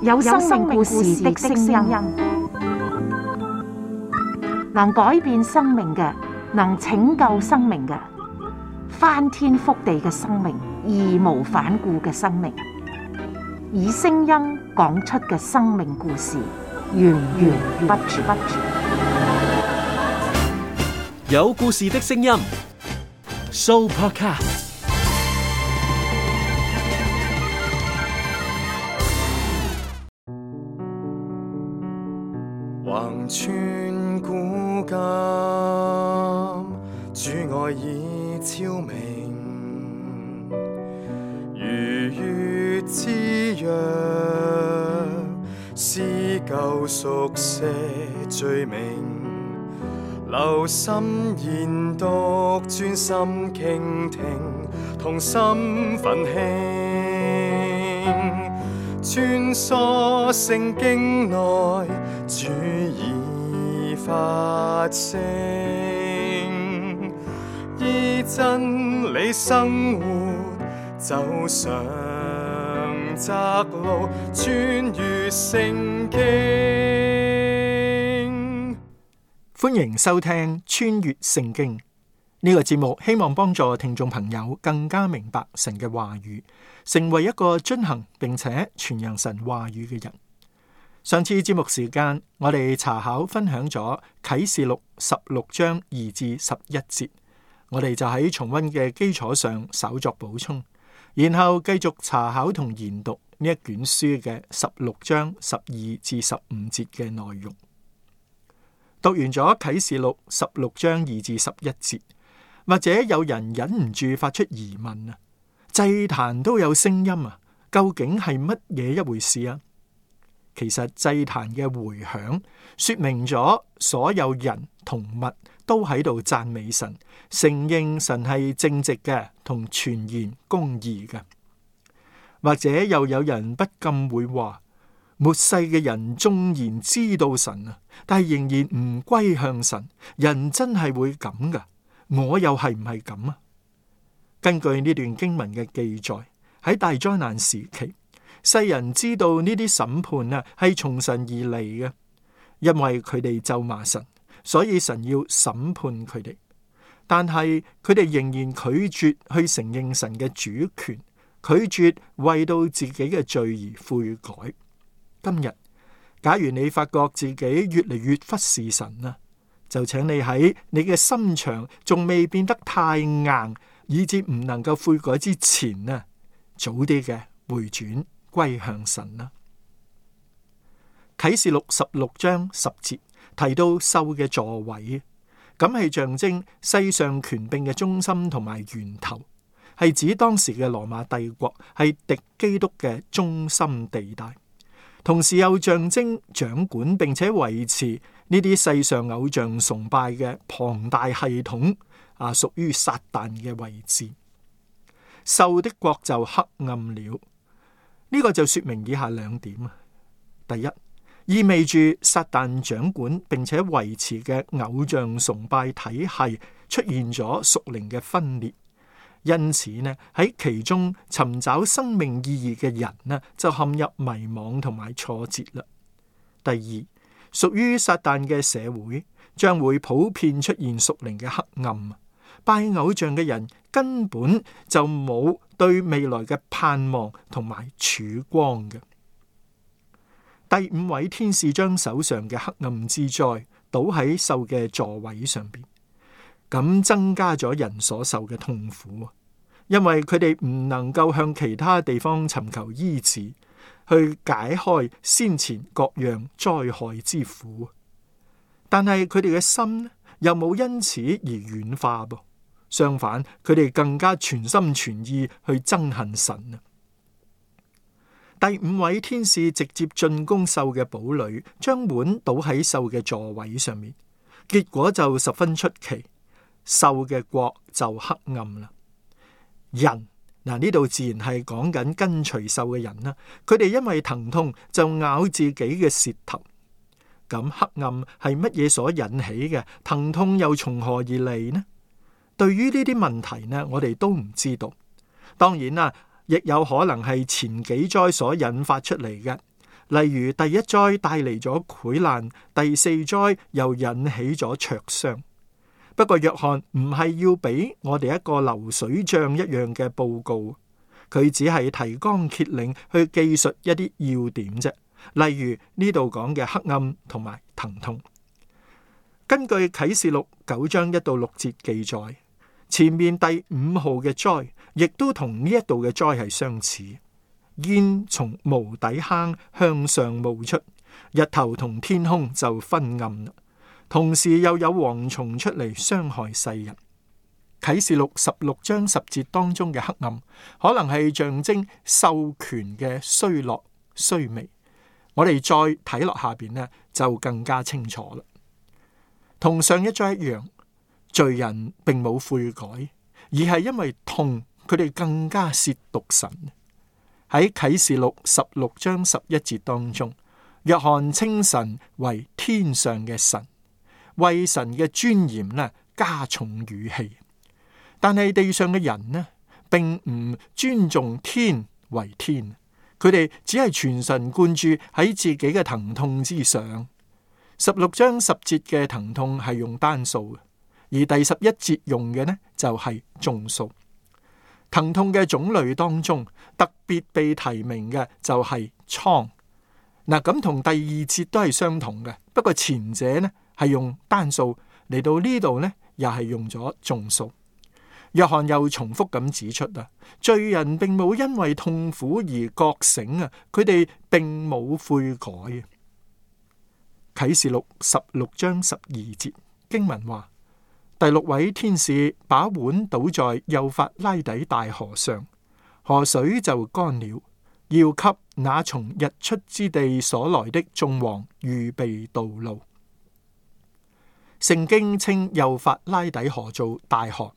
有生命故事的聲音，能改變生命嘅，能拯救生命嘅，翻天覆地嘅生命，義無反顧嘅生命，以聲音講出嘅生命故事，源源不絕。有故事的聲音 ，Sooopodcast。橫穿古今，主愛已超明，如月之約，撕舊熟寫罪名，留心研讀，專心傾聽，同心奮興，穿梭聖經內，主已發聲，依真理生活，走上窄路，穿越聖經。歡迎收聽穿越聖經呢個節目，希望幫助聽眾朋友更加明白神嘅話語，成為一個遵行並且傳揚神話語嘅人。上次節目時間，我哋查考分享咗啟示錄16章2至11節，我哋就喺重溫嘅基礎上稍作補充，然後繼續查考同研讀呢一卷書嘅16章12至15節嘅內容。讀完咗啟示錄16章2至11節，或者有人忍唔住發出疑問啊，祭壇都有聲音啊，究竟係乜嘢一回事啊？其實祭壇嘅回響說明咗所有人同物都喺度讚美神，承認神係正直嘅同全然公義嘅。或者又有人不禁會話，末世嘅人縱然知道神啊，但係仍然唔歸向神，人真係會咁噶？我又係唔係咁啊？根據呢段經文嘅記載，喺大災難時期，世人知道呢啲審判啊係從神而嚟嘅，因為佢哋咒罵神，所以神要審判佢哋。但係佢哋仍然拒絕去承認神嘅主權，拒絕為到自己嘅罪而悔改。今日，假如你發覺自己越嚟越忽視神啊，就請你喺你嘅心腸仲未變得太硬，以致唔能夠悔改之前啊，早啲嘅回轉歸向神啦。啟示錄16章10節提到獸嘅座位，咁係象徵世上權柄嘅中心同埋源頭，係指當時嘅羅馬帝國係敵基督嘅中心地帶，同時又象徵掌管並且維持呢啲世上偶像崇拜嘅龐大系統屬於撒旦嘅位置。獸的國就黑暗了。呢個就說明以下兩點啊。第一，意味住撒旦掌管並且維持嘅偶像崇拜體系出現咗屬靈嘅分裂，因此呢喺其中尋找生命意義嘅人呢就陷入迷惘同埋挫折啦。第二，屬於撒旦嘅社會將會普遍出現屬靈嘅黑暗，拜偶像嘅人根本就冇對未來嘅盼望同埋曙光嘅。第五位天使將手上嘅黑暗之災倒喺獸嘅座位上邊，咁增加咗人所受嘅痛苦，因為佢哋唔能夠向其他地方尋求醫治，去解開先前各樣災害之苦。但係佢哋嘅心又冇因此而軟化噃。相反，佢哋更加全心全意去憎恨神啊！第五位天使直接進攻獸嘅堡壘，將碗倒喺獸嘅座位上面，結果就十分出奇，獸嘅國就黑暗啦。人嗱，呢度自然係講緊跟隨獸嘅人啦，佢哋因為疼痛就咬自己嘅舌頭。咁黑暗係乜嘢所引起嘅？疼痛又從何而嚟呢？對於呢啲問題呢，我哋都唔知道。當然啦，亦有可能係前幾災所引發出嚟嘅。例如第一災帶嚟咗潰爛，第四災又引起咗灼傷。不過約翰唔係要俾我哋一個流水賬一樣嘅報告，佢只係提綱挈領去記述一啲要點啫。例如呢度講嘅黑暗同埋疼痛。根據啟示錄9章1到6節記載，前面第5號嘅災亦都同呢一度嘅災係相似。煙從無底坑向上冒出，日頭同天空就昏暗啦。同時又有蝗蟲出嚟傷害世人。啟示錄16章10節當中嘅黑暗，可能係象徵授權嘅衰落衰微。我哋再睇落下邊呢，就更加清楚啦。同上一章一樣，罪人並冇悔改，而係因為痛，佢哋更加褻瀆神。喺啟示錄16章11節當中，約翰稱神為天上嘅神，為神嘅尊嚴呢加重語氣。但係地上嘅人呢，並唔尊重天為天，佢哋只係全神貫注喺自己嘅疼痛之上。16章10節嘅疼痛係用單數嘅，而第11節用嘅呢就係眾數。疼痛嘅種類當中，特別被提名嘅就係瘡。嗱，咁同第二節都係相同嘅，不過前者呢係用單數，嚟到呢度呢又係用咗眾數。約翰又重複咁指出啊，罪人並冇因為痛苦而覺醒啊，佢哋並冇悔改啊。啟示錄16章12節經文話，第6位天使把碗倒在幼發拉底大河上，河水就乾了，要給那從日出之地所來的眾王預備道路。聖經稱幼發拉底河做大河，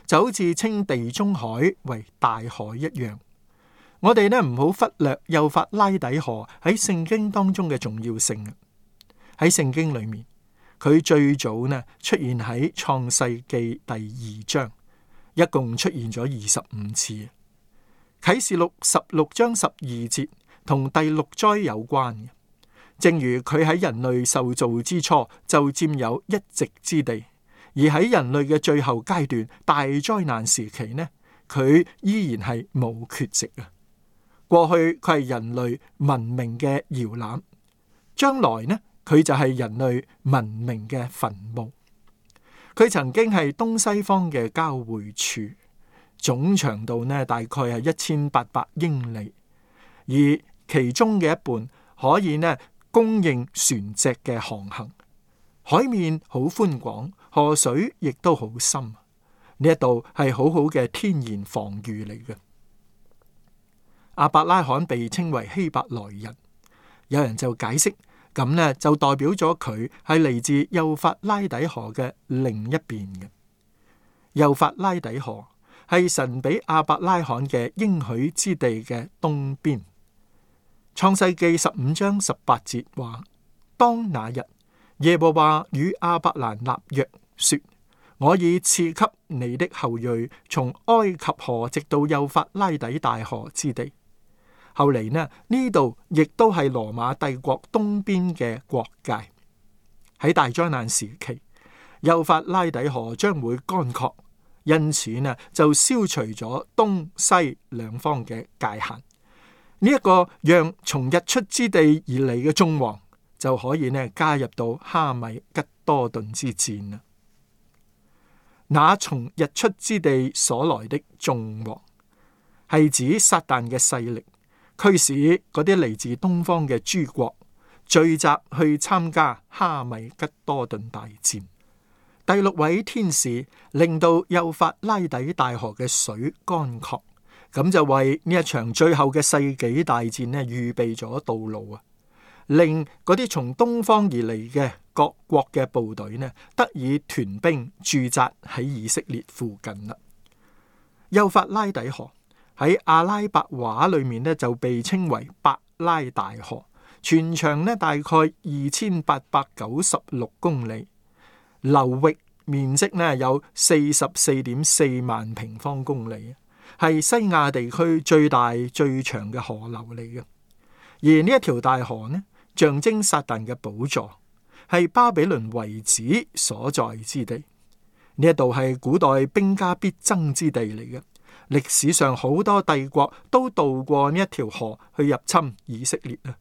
就好似稱地中海為大海一樣。我哋呢唔好忽略幼發拉底河喺聖經當中嘅重要性。喺聖經裏面，佢最早呢出現喺創世記第2章，一共出現咗25次。啟示錄16章12節同第6災有關嘅，正如佢喺人類受造之初就佔有一席之地，而喺人類嘅最後階段大災難時期呢，佢依然係冇缺席啊。過去佢係人類文明嘅搖籃，將來呢佢就係人類文明嘅墳墓。佢曾經係東西方嘅交匯處，總長度呢大概係1800英里，而其中嘅一半可以呢供應船隻嘅航行。海面好寬廣，河水亦都好深。呢一度係好好嘅天然防禦嚟嘅。亞伯拉罕被稱為希伯來人，有人就解釋，咁呢就代表咗佢係嚟自幼發拉底河嘅另一邊嘅。幼發拉底河係神俾亞伯拉罕嘅應許之地嘅東邊。創世記15章18節話，當那日，耶和華與亞伯蘭立約，說，我已賜給你的後裔從埃及河直到幼發拉底大河之地。後嚟呢度亦都係羅馬帝國東邊嘅國界。喺大災難時期，幼發拉底河將會乾涸，因此呢就消除咗東西兩方嘅界限。呢一個讓從日出之地而嚟嘅眾王就可以呢加入到哈米吉多頓之戰啦。那從日出之地所來的眾王係指撒旦嘅勢力，驅使嗰啲嚟自東方嘅諸國聚集去參加哈米吉多頓大戰。第6位天使令到幼發拉底大河嘅水乾涸，咁就為呢一場最後嘅世紀大戰呢預備咗道路啊，令嗰啲從東方而嚟嘅各國嘅部隊呢得以屯兵駐紮喺以色列附近啦。幼發拉底河喺阿拉伯話裏面呢就被稱為伯拉大河，全長呢大概2896公里，流域面積呢有44.4萬平方公里，係西亞地區最大最長嘅河流嚟嘅。而呢一條大河呢，象徵撒旦嘅寶座，係巴比倫遺址所在之地。呢一度係古代兵家必爭之地嚟嘅。歷史上好多帝國都渡過呢一條河去入侵以色列啊。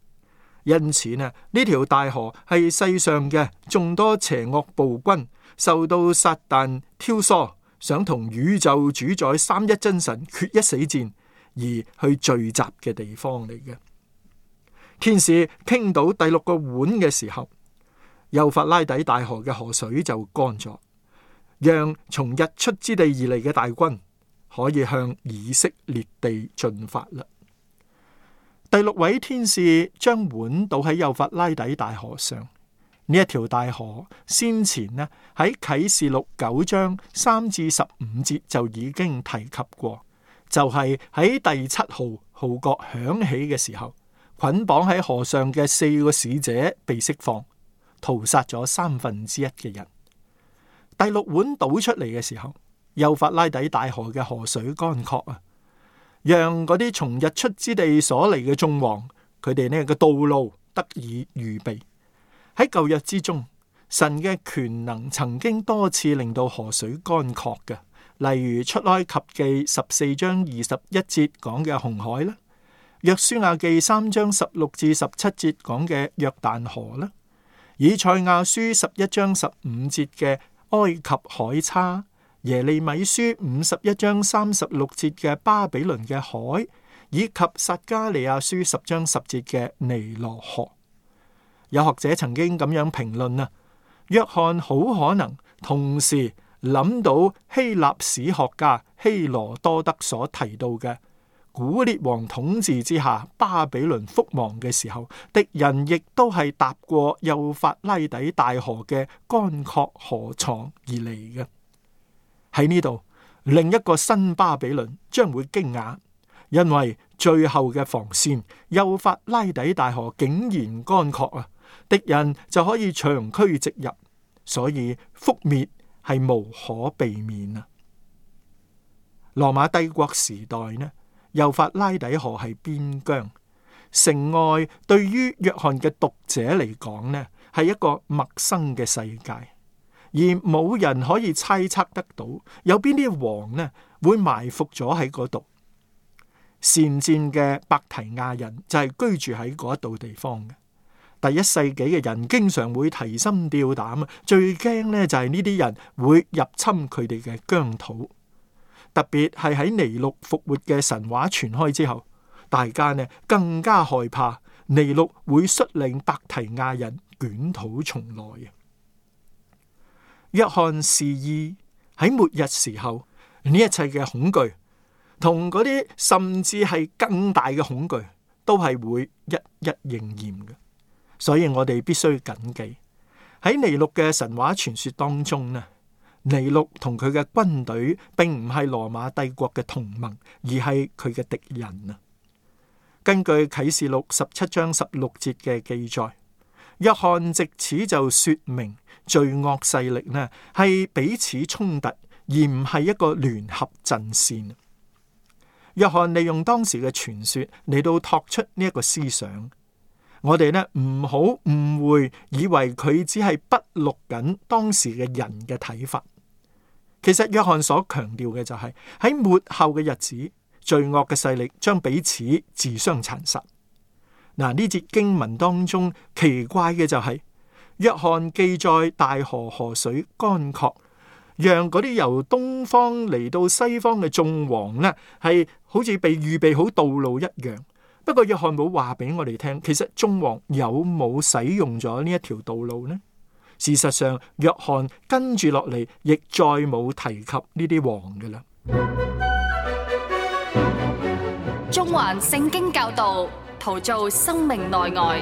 因此呢，呢條大河係世上嘅眾多邪惡暴君受到撒旦挑唆，想同宇宙主宰三一真神決一死戰而去聚集嘅地方嚟嘅。天使傾倒第六個碗嘅時候，幼發拉底大河嘅河水就乾咗，讓從日出之地而嚟嘅大軍可以向以色列地進發啦。第六位天使將碗倒喺幼發拉底大河上。呢一條大河先前呢喺啟示錄9章3至15節就已經提及過，就係喺第7號號角響起嘅時候，捆綁喺河上嘅4個使者被釋放，屠殺咗1/3嘅人。第六碗倒出嚟嘅時候，幼發拉底大河嘅河水乾涸啊，讓嗰啲從日出之地所嚟嘅眾王，佢哋呢個道路得以預備。喺舊約之中，神嘅權能曾經多次令到河水乾涸嘅，例如出埃及記14章21節講嘅紅海啦，約書亞記3章16至17節講嘅約旦河啦，以賽亞書11章15節嘅埃及海叉，耶利米書51章36節嘅巴比倫嘅海，以及撒迦利亞書10章10節嘅尼羅河。有學者曾經咁樣評論啊，約翰好可能同時諗到希臘史學家希羅多德所提到嘅古列王統治之下巴比倫覆亡嘅時候，敵人亦都係踏過幼發拉底大河嘅乾涸河床而嚟嘅。喺呢度，另一個新巴比倫將會驚訝，因為最後嘅防線幼發拉底大河竟然乾涸啊！敵人就可以長驅直入，所以覆滅係無可避免啊！羅馬帝國時代呢，幼發拉底河係邊疆，城外對於約翰嘅讀者嚟講呢，係一個陌生嘅世界，而冇人可以猜測得到有邊啲王呢會埋伏咗喺嗰度。善戰嘅伯提亞人就係居住喺嗰度地方嘅。第1世紀嘅人經常會提心吊膽啊，最驚呢就係呢啲人會入侵佢哋嘅疆土。特別係喺尼祿復活嘅神話傳開之後，大家呢更加害怕尼祿會率領伯提亞人捲土重來啊！約翰示意喺末日時候，呢一切嘅恐懼同嗰啲甚至係更大嘅恐懼都係會一一應驗嘅。所以我哋必須謹記，喺尼祿嘅神話傳說當中呢，尼祿同佢嘅軍隊並唔係羅馬帝國嘅同盟，而係佢嘅敵人啊。根據啟示錄17章16節嘅記載，約翰藉此就說明罪惡勢力呢係彼此衝突，而唔係一個聯合陣線。約翰利用當時嘅傳說嚟到托出呢一個思想。我哋呢唔好誤會，以為佢只係筆錄緊當時嘅人嘅睇法。其實約翰所強調嘅就係喺末後嘅日子，罪惡嘅勢力將彼此自相殘殺。嗱，呢節經文當中奇怪嘅就係約翰記載大河河水乾涸，讓嗰啲由東方嚟到西方嘅眾王呢係好似被預備好道路一樣。不過約翰冇話俾我哋聽，其實眾王有冇使用咗呢一條道路呢？事實上，約翰跟住落嚟，亦再冇提及呢啲王㗎喇。中環聖經教導，陶造生命內外。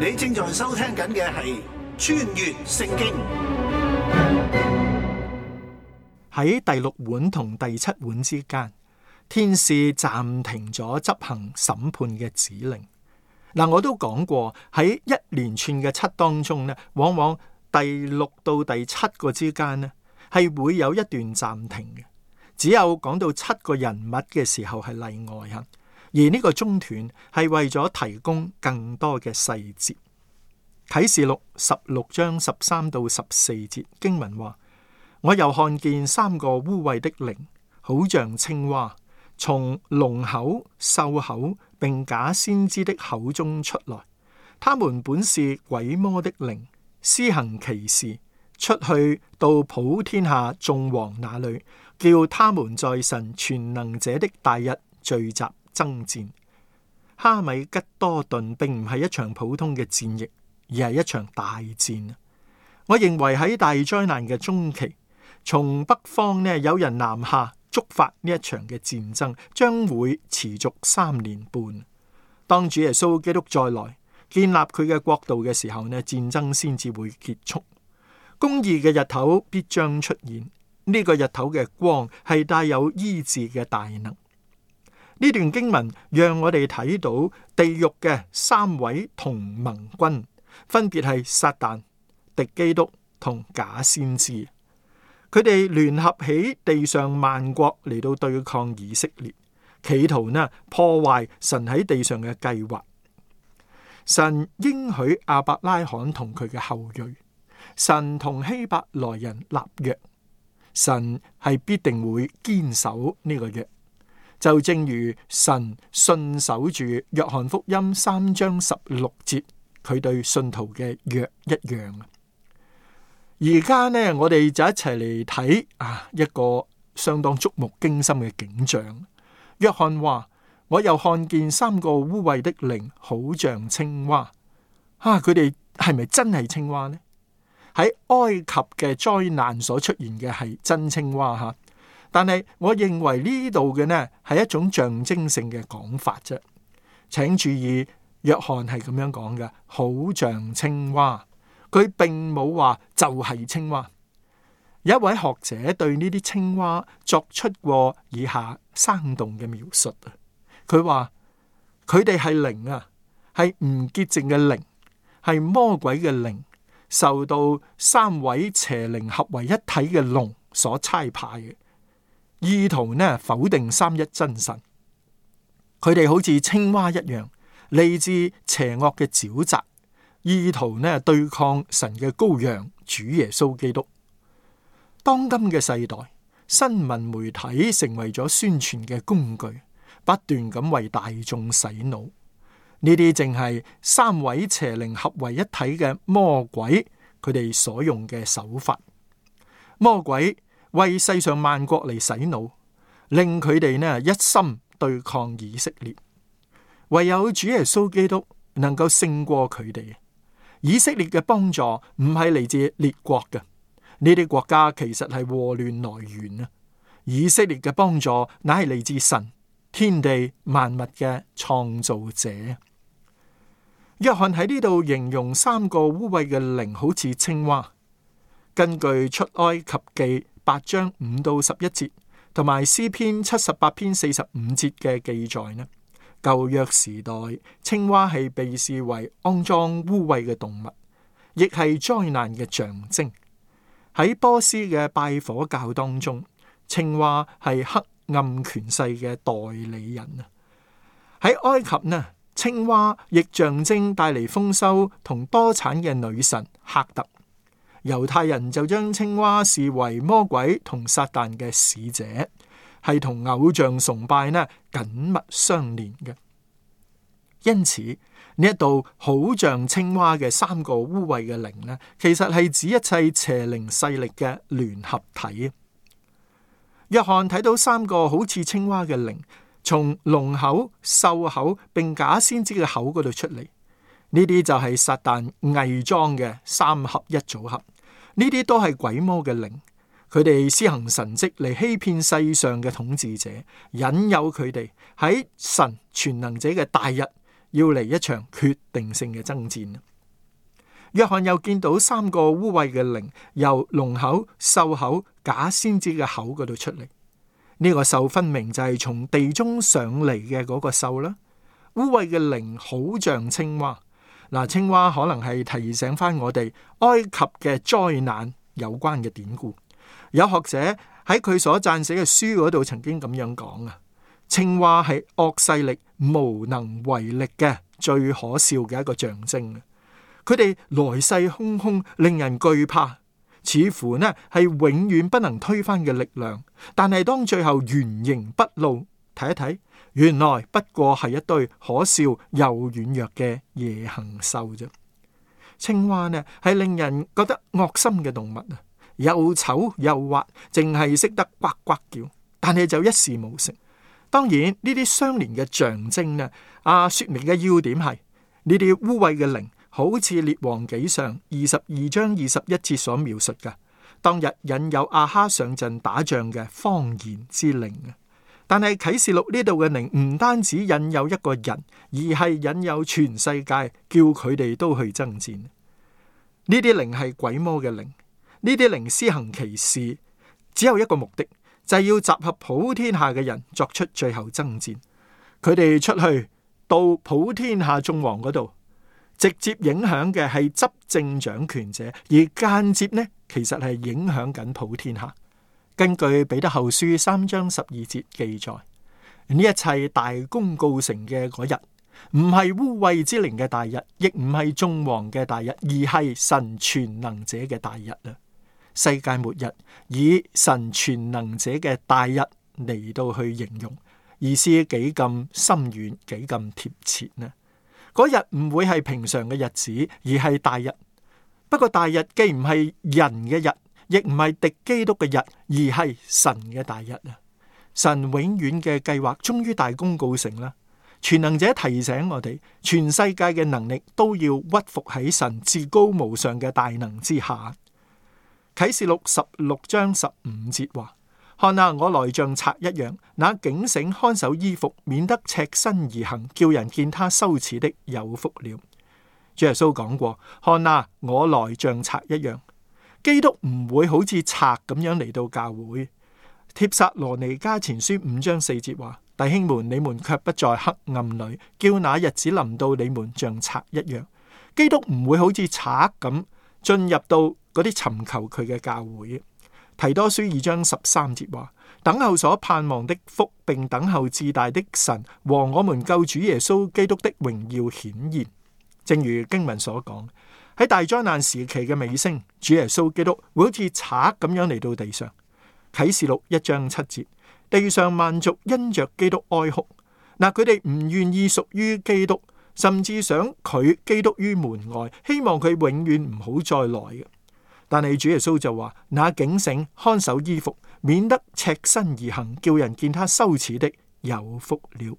你正在收聽緊嘅係穿越聖經。喺第6碗同第7碗之間，天使暫停咗執行審判嘅指令。嗱，我都講過喺一連串嘅7當中呢，往往第6到第7個之間呢，係會有一段暫停嘅，只有講到7個人物嘅時候係例外吓。而呢個中斷係為咗提供更多嘅細節。啟示錄16章13到14節經文話：我又看見3個污穢的靈，好像青蛙，從龍口、獸口並假先知的口中出來。他們本是鬼魔的靈，施行奇事，出去到普天下眾王那裏，叫他們在神全能者的大日聚集爭戰。哈米吉多頓並唔係一場普通嘅戰役，而係一場大戰。我認為喺大災難嘅中期，從北方有人南下觸發呢一場嘅戰爭，將會持續3年半。當主耶穌基督再來建立佢嘅國度嘅時候戰爭先至會結束。公義嘅日頭必將出現，呢個日頭嘅光係帶有醫治嘅大能。呢段經文讓我哋睇到地獄嘅3位同盟軍，分別係撒旦、敵基督同假先知。佢哋聯合起地上萬國嚟到對抗以色列，企圖破壞神喺地上嘅計劃。神應許亞伯拉罕同佢嘅後裔，神同希伯來人立約，神係必定會堅守呢個約。就正如神信守住約翰福音3章16節佢對信徒嘅約一樣。而家我哋就一齊嚟睇一個相當觸目驚心嘅景象。約翰話：我又看見3個污穢的靈，好像青蛙。佢哋係咪真係青蛙呢？喺埃及嘅災難所出現嘅係真青蛙但係我認為呢度嘅係一種象徵性嘅講法啫。請注意，約翰係咁樣講嘅，好像青蛙，佢並冇話就係青蛙。有一位學者對呢啲青蛙作出過以下生動嘅描述。佢話佢哋係靈係唔潔淨嘅靈，係魔鬼嘅靈，受到3位邪靈合為一體嘅龍所差派嘅，意圖否定三一真神。佢哋好似青蛙一樣，嚟自邪惡嘅沼澤，意圖對抗神嘅羔羊主耶穌基督。當今嘅世代，新聞媒體成為咗宣傳嘅工具，不斷咁為大眾洗腦。呢啲正係3位邪靈合為一體嘅魔鬼，佢哋所用嘅手法。魔鬼為世上萬國嚟洗腦，令佢哋一心對抗以色列。唯有主耶穌基督能夠勝過佢哋。以色列嘅幫助唔係嚟自列國嘅，呢啲國家其實係禍亂來源啊！以色列嘅幫助乃係嚟自神，天地萬物嘅創造者。約翰喺呢度形容3個污穢嘅靈好似青蛙。根據出埃及記8章5到11節，同埋詩篇78篇45節嘅記載舊約時代青蛙係被視為骯髒污穢嘅動物，亦係災難嘅象徵。喺波斯嘅拜火教當中，青蛙係黑暗權勢嘅代理人啊。喺埃及青蛙亦象徵帶嚟豐收同多產嘅女神赫特。猶太人就將青蛙視為魔鬼同撒旦嘅使者，係同偶像崇拜緊密相連嘅。因此呢一度好像青蛙嘅3個污穢嘅靈其實係指一切邪靈勢力嘅聯合體。約翰睇到3個好似青蛙嘅靈從龍口、獸口並假先知嘅口嗰度出嚟，呢啲就係撒旦偽裝嘅3合一組合。呢啲都係鬼魔嘅靈，佢哋施行神蹟嚟欺騙世上嘅統治者，引誘佢哋喺神全能者嘅大日要嚟一場決定性嘅爭戰。約翰又見到3個污穢嘅靈由龍口、獸口、假先知嘅口嗰度出嚟。呢個獸分明就係從地中上嚟嘅嗰個獸啦。污穢嘅靈好像青蛙。青蛙可能係提醒翻我哋埃及嘅災難有關嘅典故。有學者喺佢所撰寫嘅書嗰度曾經咁樣講啊，青蛙係惡勢力無能為力嘅最可笑嘅一個象徵。佢哋來勢洶洶，令人懼怕，似乎呢係永遠不能推翻嘅力量。但係當最後原形畢露，睇一睇，原來不過係一堆可笑又軟弱嘅夜行獸啫。青蛙呢係令人覺得惡心嘅動物啊，又醜又滑，淨係識得呱呱叫，但係就一事無成。當然呢啲相連嘅象徵呢，說明嘅要點係呢啲污穢嘅靈，好似列王紀上22章21節所描述嘅，當日引誘亞哈上陣打仗嘅謊言之靈啊。但係啟示錄呢度嘅靈唔單止引誘一個人，而係引誘全世界，叫佢哋都去爭戰。呢啲靈係鬼魔嘅靈，呢啲靈施行奇事，只有一個目的，就係要集合普天下嘅人作出最後爭戰。佢哋出去到普天下眾王嗰度，直接影響嘅係執政掌權者，而間接呢，其實係影響緊普天下。根據彼得後書3章12節記載，呢一切大功告成嘅嗰日，唔係污穢之靈嘅大日，亦唔係眾王嘅大日，而係神全能者嘅大日啊！世界末日以神全能者嘅大日嚟到去形容，意思幾咁深遠，幾咁貼切呢？嗰日唔會係平常嘅日子，而係大日。不過大日既唔係人嘅日，亦唔係敵基督嘅日，而係神嘅大日啊！神永遠嘅計劃終於大功告成啦！全能者提醒我哋，全世界嘅能力都要屈服喺神至高無上嘅大能之下。啟示錄16章15節話：看啊，我來像賊一樣，那警醒看守衣服，免得赤身而行，叫人見他羞恥的有福了。主耶穌講過：看啊，我來像賊一樣。基督唔會好似賊咁樣嚟到教會。帖撒羅尼迦前書5章4節話：弟兄們，你們卻不在黑暗裏，叫那日子臨到你們像賊一樣。基督唔會好似賊咁進入到嗰啲尋求佢嘅教會。提多書2章13節話：等候所盼望的福，並等候至大的神和我們救主耶穌基督的榮耀顯現。正如經文所講，喺大災難時期嘅尾聲，主耶穌基督會好似賊咁樣嚟到地上。啟示錄1章7節，地上萬族因着基督哀哭。嗱，佢哋唔願意屬於基督，甚至想拒基督於門外，希望佢永遠唔好再來嘅。但係主耶穌就話：那警醒看守衣服，免得赤身而行，叫人見他羞恥的有福了。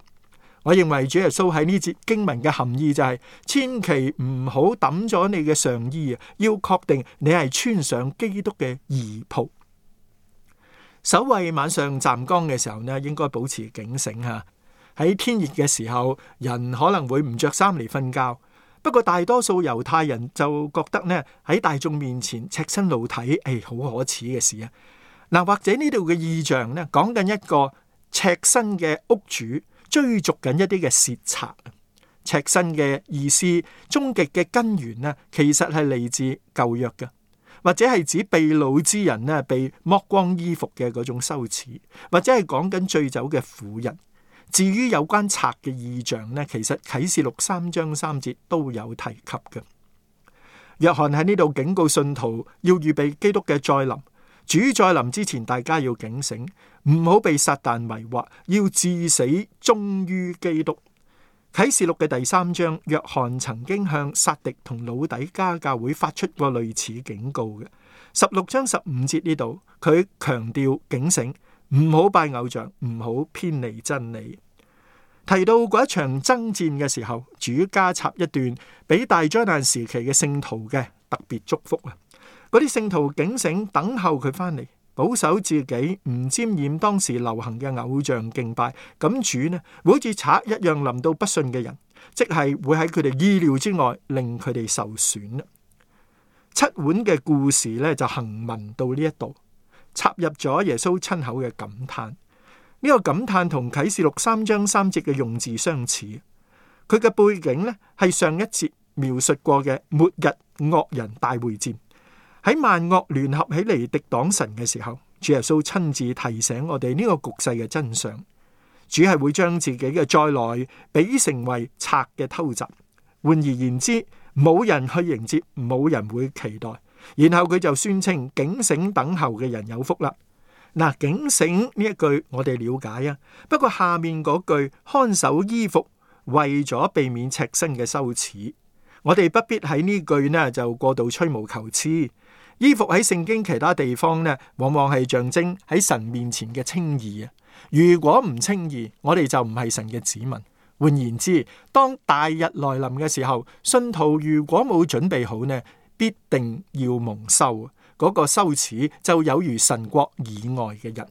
我認為主耶穌喺呢節經文嘅含義就係：千祈唔好抌咗你嘅上衣啊，要確定你係穿上基督嘅義袍。守衛晚上站崗嘅時候呢，應該保持警醒吓。喺天熱嘅時候，人可能會唔着衫嚟瞓覺。不過大多數猶太人就覺得呢，喺大眾面前赤身露體，好可恥嘅事啊！嗱，或者呢度嘅意象呢，講緊一個赤身嘅屋主追逐緊一啲嘅竊賊。赤身嘅意思，終極嘅根源呢，其實係嚟自舊約嘅，或者係指被擄之人呢被剝光衣服嘅嗰種羞恥，或者係講緊醉酒嘅婦人。至於有關賊嘅意象呢，其實啟示錄3章3節都有提及嘅。約翰喺呢度警告信徒要預備基督嘅再臨。主再臨之前，大家要警醒，唔好被撒旦迷惑，要至死忠於基督。啟示錄嘅第3章，約翰曾經向撒狄同老底加教會發出過類似警告嘅。16章15節呢度，佢強調警醒，唔好拜偶像，唔好偏離真理。提到嗰一場爭戰嘅時候，主加插一段俾大災難時期嘅聖徒嘅特別祝福啊！嗰啲聖徒警醒，等候佢翻嚟，保守自己，唔沾染當時流行嘅偶像敬拜。咁主呢，會好似賊一樣臨到不信嘅人，即係會喺佢哋意料之外，令佢哋受損。七碗嘅故事呢，就行文到呢一度，插入咗耶穌親口嘅感嘆。呢個感嘆同啟示錄3章3節嘅用字相似。佢嘅背景呢，係上一節描述過嘅末日惡人大會戰。喺萬惡聯合起嚟敵擋神嘅時候，主耶穌親自提醒我哋呢個局勢嘅真相。主係會將自己嘅再來比成為賊嘅偷襲。換而言之，冇人去迎接，冇人會期待。然後佢就宣稱警醒等候嘅人有福啦。嗱，警醒呢一句我哋了解啊，不過下面嗰句看守衣服，為咗避免赤身嘅羞恥，我哋不必喺呢句呢就過度吹毛求疵。衣服喺聖經其他地方呢，往往係象徵喺神面前嘅稱義啊。如果唔稱義，我哋就唔係神嘅子民。換言之，當大日來臨嘅時候，信徒如果冇準備好呢，必定要蒙羞。嗰個羞恥就有如神國以外嘅人。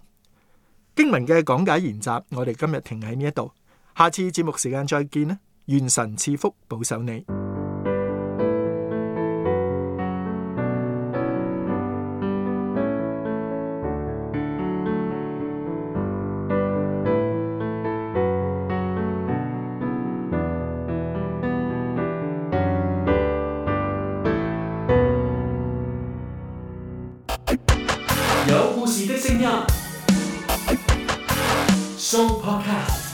經文嘅講解研習，我哋今日停喺呢一度，下次節目時間再見啦。願神賜福保守你。有故事的聲音，Show Podcast。